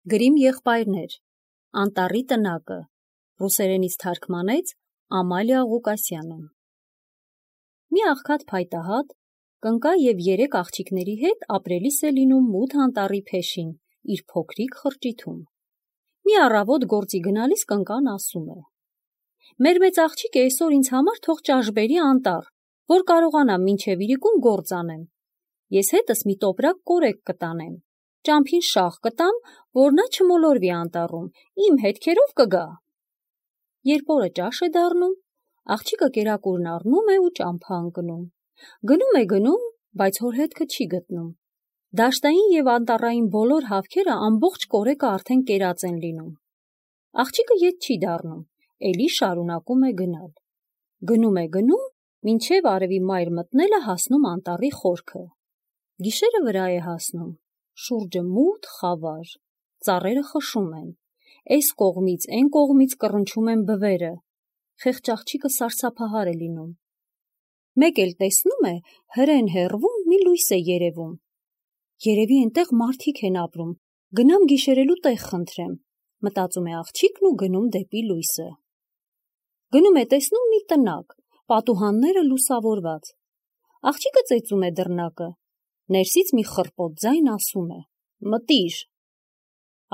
Գրիմ եղբայրներ, Անտառի տնակը, ռուսերենից թարգմանեց Ամալիա Ղուկասյանը։ Մի աղքատ փայտահատ կնկա և 3 աղջիկների հետ ապրելիս է լինում մութ անտառի փեշին, իր փոքրիկ խրճիթում։ Մի առավոտ գործի գնալիս կնկան ասում է. «Մեր մեծ աղջիկը այսօր ինձ համար թող ճաշ բերի անտառ, որ կարողանամ մինչև իրիկուն գործ անեմ։ Ես հետս մի տոպրակ կորեկ կտանեմ, ճամփին շաղ կտամ, որ նա չմոլորվի անտառում, իմ հետքերով կգա»։ Երբ օրը ճաշ է դառնում, աղջիկը կերակուրն առնում է ու ճամփա ընկնում։ Գնում, բայց հոր հետքը չի գտնում։ Դաշտային և անտառային բոլոր հավքերը ամբողջ կորեկը արդեն կերած են լինում։ Աղջիկը ետ չի դառնում, էլի շարունակում է գնալ։ Գնում, մինչև արևի մայր մտնելը հասնում անտառի խորքը։ Գիշերը վրա է հասնում, շուրջը մութ խավար, ծառերը խշում են, այս կողմից, այն կողմից կռնչում են բվերը, խեղճ աղջիկը սարսափահար է լինում։ Մեկ էլ տեսնում է, հրեն հեռվում մի լույս է երևում։ Երևի այնտեղ մարդիկ են ապրում, գնամ գիշերելու տեղ խնդրեմ, մտածում է աղջիկն ու գնում դեպի լույսը։ Գնում է, տեսնում մի տնակ, պատուհանները լուսավորված։ Աղջիկը ծեծում է դռնակը, ներսից մի խռպոտ ձայն ասում է. «Մտիր»։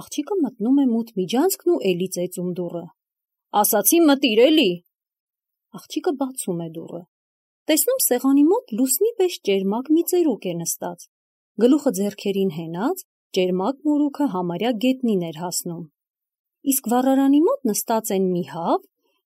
Աղջիկը մտնում է մութ միջանցքն ու էլի ծեծում դուռը։ «Ասացի մտիր էլի»։ Աղջիկը բացում է դուռը։ Տեսնում սեղանի մոտ լուսնի պես ճերմակ մի ծերուկ է նստած, գլուխը ձեռքերին հենած, ճերմակ մորուքը համարյա գետնին էր հասնում։ Իսկ վառարանի մոտ նստած են մի հավ,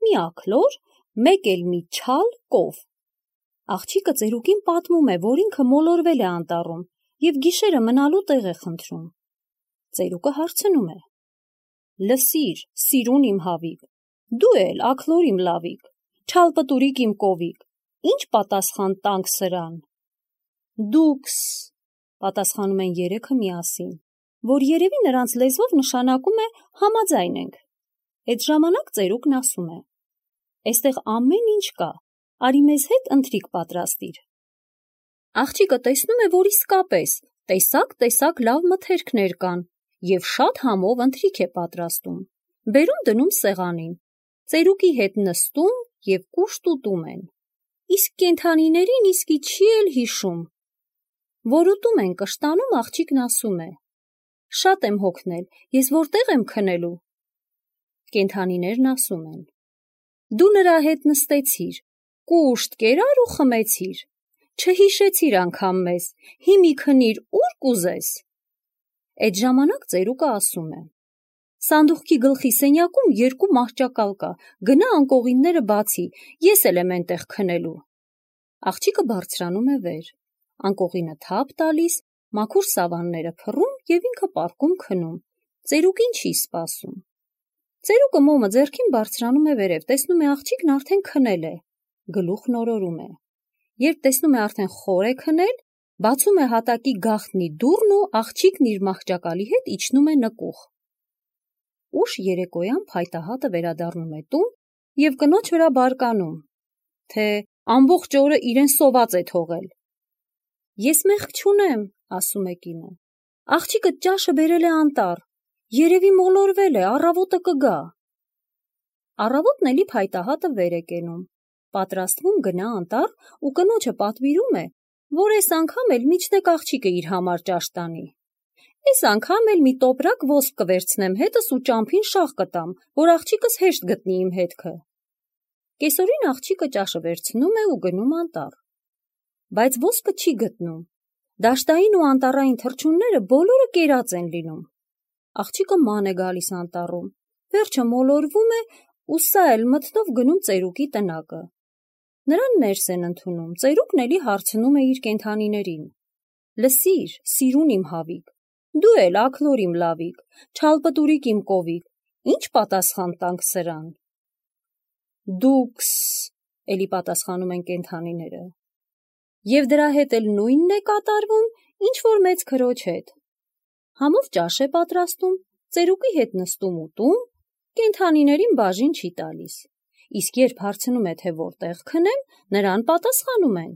մի աքլոր, մեկ էլ մի չալ կով։ Աղջիկը ծերուկին պատմում է, որ ինքը մոլորվել է անտառում և գիշերը մնալու տեղ է խնդրում։ Ծերուկը հարցնում է. «Լսիր, սիրուն իմ հավիկ, դու էլ աքլոր իմ լավիկ, չալպտուրիկ իմ կովիկ, ինչ պատասխան տանք սրան»։ «Դուքս», պատասխանում են երեքը միասին, որ երևի նրանց լեզվով նշանակում է համաձայն ենք։ Այդ ժամանակ ծերուկն ասում է. «Էստեղ ամեն ինչ կա, արի մեզ հետ ընթրիք պատրաստիր»։ Աղջիկը տեսնում է, որ իսկապես տեսակ լավ մթերքներ կան և շատ համով ընթրիք է պատրաստում։ Բերում դնում սեղանին, ծերուկի հետ նստում և կուշտ ուտում են։ Իսկ կենդանիներին իսկի չի էլ հիշում։ Որ ուտում են կշտանում, աղջիկն ասում է. «Շատ եմ հոգնել, ես որտեղ եմ քնելու»։ Կենդանիներն ասում են. «Դու նրա հետ նստեցիր, կուշտ կերար ու խմեցիր, չհիշեցիր անգամ մեզ, հիմի քնիր ուր կուզես»։ Այդ ժամանակ ծերուկը ասում է. «Սանդուղքի գլխի սենյակում 2 մահճակալ կա, գնա անկողինները բացի, ես էլ եմ էնտեղ քնելու»։ Աղջիկը բարձրանում է վեր, անկողինը թափ տալիս, մաքուր սավանները փռում և ինքը պառկում քնում, ծերուկին չի սպասում։ Ծերուկը մոմը ձեռքին բարձրանում է վերև, տեսնում է աղջիկն արդեն քնել է, գլուխն օրորում է։ Երբ տեսնում է արդեն խոր է քնել, բացում է հատակի գաղտնի դուռն ու աղջիկն իր մահճակալի հետ իջնում է նկուղ։ Ուշ երեկոյան փայտահատը վերադառնում է տուն և կնոջ վրա բարկանում, թե ամբողջ օրը իրեն սոված է թողել։ «Ես մեղք չունեմ», ասում է կինը, «աղջիկդ ճաշը բերել է անտառ, երևի մոլորվել է, առավոտը կգա»։ Առավոտն էլի փայտահատը վեր է կենում, պատրաստվում գնա անտառ ու կնոջը պատվիրում է, որ այս անգամ էլ միջնեկ աղջիկը իր համար ճաշ տանի։ «Այս անգամ էլ մի տոպրակ ոսկ կվերցնեմ հետս ու ճամփին շաղ կտամ, որ աղջիկս հեշտ գտնի իմ հետքը»։ Կեսօրին աղջիկը ճաշը վերցնում է ու գնում անտառ։ Բայց ոսկը չի գտնում։ Դաշտային ու անտառային թռչունները բոլորը կերած են լինում։ Աղջիկը ման է գալիս անտառում, վերջը մոլորվում է ու սա էլ մթնով գնում ծերուկի տնակը։ Նրան ներս են ընդունում, ծերուկն էլի հարցնում է իր կենդանիներին. «Լսիր, սիրուն իմ հավիկ, դու էլ աքլոր իմ լավիկ, չալպտուրիկ իմ կովիկ, ինչ պատասխան տանք սրան»։ «Դուքս», էլի պատասխանում են կենդանիները։ Եվ դրա հետ էլ նույնն է կատարվում, ինչ որ մեծ քրոջ հետ։ Համով ճաշ է պատրաստում, ծերուկի հետ նստում ուտում, կենդանիներին բաժին չի տալիս։ Իսկ երբ հարցնում է, թե որտեղ քնեմ, նրան պատասխանում են.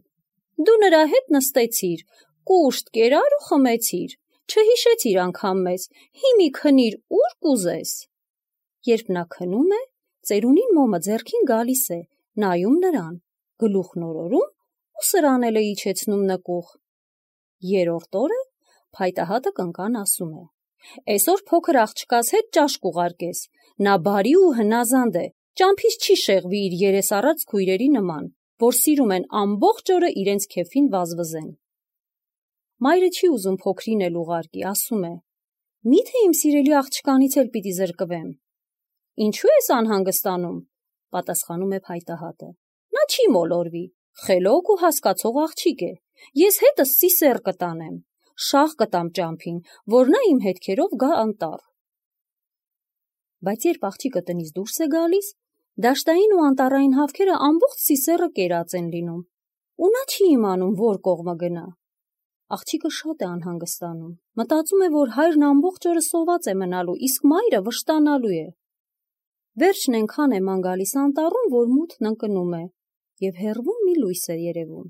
«Դու նրա հետ նստեցիր, կուշտ կերար ու խմեցիր, չհիշեցիր անգամ մեզ, հիմի քնիր ուր կուզես։ Երբ նա քնում է, ծերունին մոմը ձեռքին գալիս է, նայում նրան, գլուխն օրորում ու սրան էլ է իջեցնում նկուղ։ Երրորդ օրը փայտահատը կնկան ասում է. «Էսօր փոքր աղջկաս հետ ճաշ կուղարկես, նա բարի ու հնազանդ է, ճամփից չի շեղվի իր երես առած քույրերի նման, որ սիրում են ամբողջ օրը իրենց քեֆին վազվզեն»։ Մայրը չի ուզում փոքրին էլ ուղարկի, ասում է. «Մի՞թե իմ սիրելի աղջկանից էլ պիտի զրկվեմ»։ «Ինչու ես անհանգստանում», պատասխանում է փայտահատը։ «Նա չի մոլորվի, խելոք ու հասկացող աղջիկ է, ես հետս ծիսեռ կտանեմ, շաղ կտամ ճամփին, որ նա իմ հետքերով գա անտառ»։ Բայց երբ աղջիկը տնից դուրս է գալիս, դաշտային ու անտառային հավքերը ամբողջ ծիսեռը կերած են լինում, ու նա չի իմանում, որ կողմը գնա։ Աղջիկը շատ է անհանգստանում, մտածում է, որ հայրն ամբողջ օրը սոված է մնալու, իսկ մայրը վշտանալու է։ Վերջն այնքան է ման գալիս անտառում, որ մութն ընկնում է, և հեռվում մի լույս է երևում։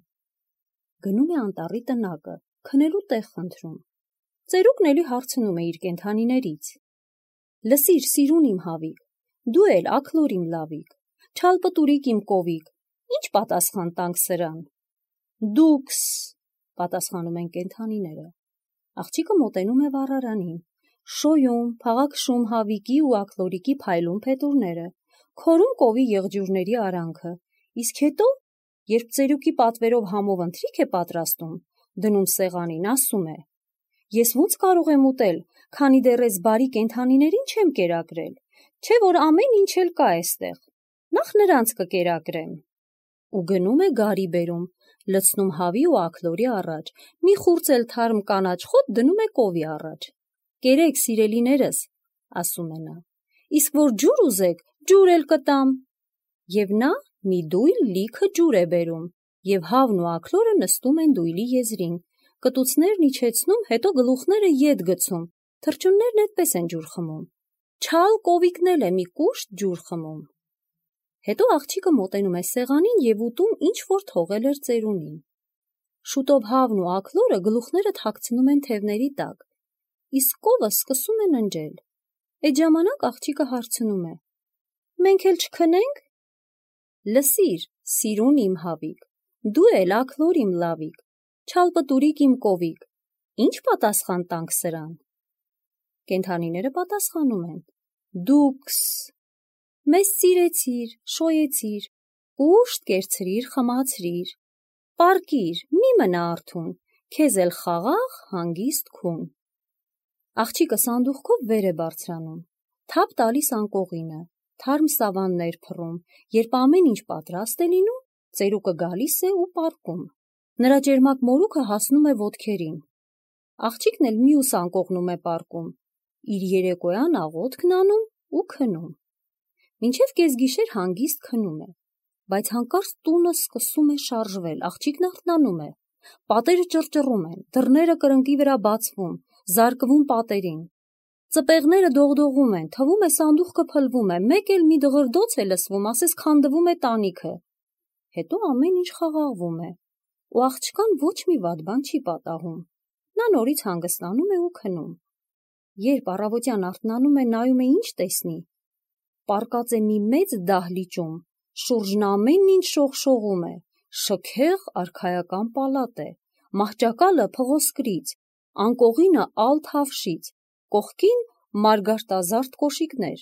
Գնում է անտառի տնակը, քնելու տեղ խնդրում։ Ծերուկն էլի հարցնում է իր կենդանիներից. «Լսիր, սիրուն իմ հավիկ, դու էլ աքլոր իմ լավիկ, չալպտուրիկ իմ կովիկ, ինչ պատասխան տանք սրան»։ «Դուքս», պատասխանում են կենդանիները։ Աղջիկը մոտենում է վառարանին, շոյում, փաղաքշում հավիկի ու աքլորիկի փայլուն փետուրները, քորում կովի եղջյուրների արանքը, իսկ հետո, երբ ծերուկի պատվերով համով ընթրիք է պատրաստում, դնում սեղանին, ասում է. «Ես ո՞նց կարող եմ ուտել, քանի դեռ էս բարի կենդանիներին չեմ կերակրել, չէ՞ որ ամեն ինչ էլ կա էստեղ, նախ նրանց կկերակրեմ»։ Ու գնում է գարի բերում, լցնում հավի ու աքլորի առաջ, մի խուրձ էլ թարմ կանաչ խոտ դնում է կովի առաջ։ «Կերեք, սիրելիներս», ասում է նա, «իսկ որ ջուր ուզեք, ջուր էլ կտամ»։ Եվ նա մի դույլ լիքը ջուր է բերում, և հավն ու աքլորը նստում են դույլի եզրին, կտուցներն իջեցնում, հետո գլուխները ետ գցում, թռչուններն էդպես են ջուր խմում, չալ կովիկն էլ է մի կուշտ ջուր խմում։ Հետո աղջիկը մոտենում է սեղանին և ուտում ինչ-որ թողել էր ծերունին։ Շուտով հավն ու աքլորը գլուխները թաքցնում են թևների տակ, իսկ կովը սկսում է ննջել։ Այդ ժամանակ աղջիկը հարցնում է. «Մենք էլ չքնե՞նք»։ «Լսիր, սիրուն իմ հավիկ, դու էլ աքլոր իմ լավիկ, չալպտուրիկ իմ կովիկ, ինչ պատասխան տանք սրան»։ Կենդանիները պատասխանում են. «Դուքս, մեզ սիրեցիր, շոյեցիր, կուշտ կերցրիր, խմացրիր, պառկիր, մի մնա արթուն, քեզ էլ խաղաղ հանգիստ քուն»։ Աղջիկը սանդուղքով վեր է բարձրանում, թափ տալիս անկողինը, թարմ սավաններ փռում, երբ ամեն ինչ պատրաստ է լինում, ծերուկը գալիս է ու պառկում։ Նրա ճերմակ մորուքը հասնում է ոտքերին։ Աղջիկն էլ մյուս անկողնում է պառկում, իր երեկոյան աղոթքն անում ու քնում։ Մինչև կեսգիշեր հանգիստ քնում է, բայց հանկարծ տունը սկսում է շարժվել, աղջիկն արթնանում է, պատերը ճռճռում են, դռները կրկնակի վրա բացվում, զարկվում պատերին, ծպեղները դողդողում են, թվում է սանդուղքը փլվում է, մեկ էլ մի դղրդոց է լսվում, ասես քանդվում է տանիքը։ Հետո ամեն ինչ խաղաղվում է, ու աղջկան ոչ մի վատ բան չի պատահում։ Նա նորից հանգստանում է ու քնում։ Երբ առավոտյան արթնանում է, նայում է ինչ տեսնի։ Պառկած է մի մեծ դահլիճում, շուրջն ամեն ինչ շողշողում է, շքեղ արքայական պալատ է, մահճակալը փղոսկրից, անկողինը ալ թավշից, կողքին մարգարտազարդ կոշիկներ։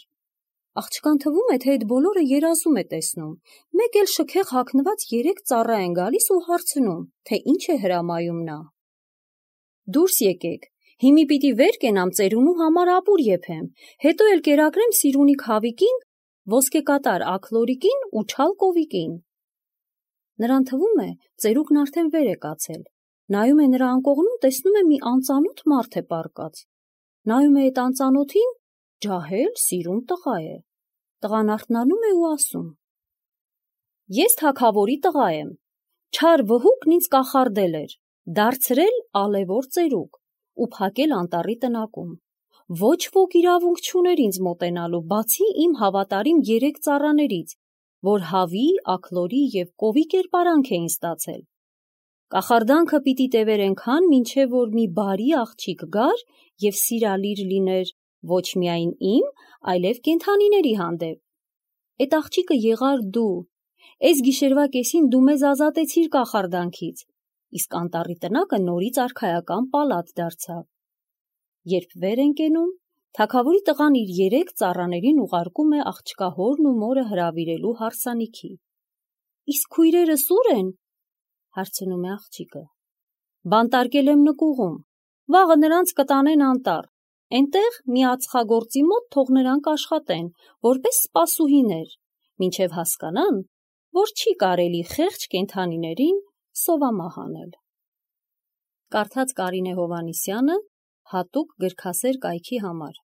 Աղջկան թվում է, թե այդ բոլորը երազում է տեսնում, մեկ էլ շքեղ հագնված 3 ծառա են գալիս ու հարցնում, թե ինչ է հրամայում նա։ «Դուրս եկեք, հիմի պիտի վեր կենամ ծերունու համար ապուր եփեմ, հետո էլ կերակրեմ սիրունիկ հավիկին, ոսկեկատար աքլորիկին ու չալ կովիկին»։ Նրան թվում է, ծերուկն արդեն վեր է կացել, նայում է նրա անկողնում, տեսնում է մի անծանոթ մարդ է պառկած, նայում է այդ անծանոթին, ջահել, սիրուն տղա է։ Տղան արթնանում է ու ասում. «Ես թագավորի տղա եմ, չար վհուկն ինձ կախարդել էր, դարձրել ալևոր ծերուկ ու փակել անտառի տնակում։ Ոչ ոք իրավունք չուներ ինձ մոտենալու, բացի իմ հավատարիմ 3 ծառաներից, որ հավի, աքլորի և կովի կերպարանք էին ստացել։ Կախարդանքը պիտի տևեր այնքան, մինչև որ մի բարի աղջիկ գար և սիրալիր լիներ ոչ միայն իմ, այլև կենդանիների հանդեպ։ Էդ աղջիկը եղար դու, էս գիշերվա կեսին դու մեզ ազատեցիր կախարդանքից, իսկ անտառի տնակը նորից արքայական պալատ դարձավ։ Երբ վեր են կենում, թագավորի տղան իր 3 ծառաներին ուղարկում է աղջկա հորն ու մորը հրավիրելու հարսանիքի։ Իսկ քույրերս ուր են, հարցնում է աղջիկը։ Բանտարկել եմ նկուղում, վաղը նրանց կտանեն անտառ, այնտեղ մի ածխագործի մոտ թող նրանք աշխատեն, որպես սպասուհիներ, մինչև հասկանան, որ չի կարելի խեղճ կենդանիներին սովամահ անել։ Կարդաց Կարինե Հովհաննիսյանը հատուկ գրքասեր կայքի համար։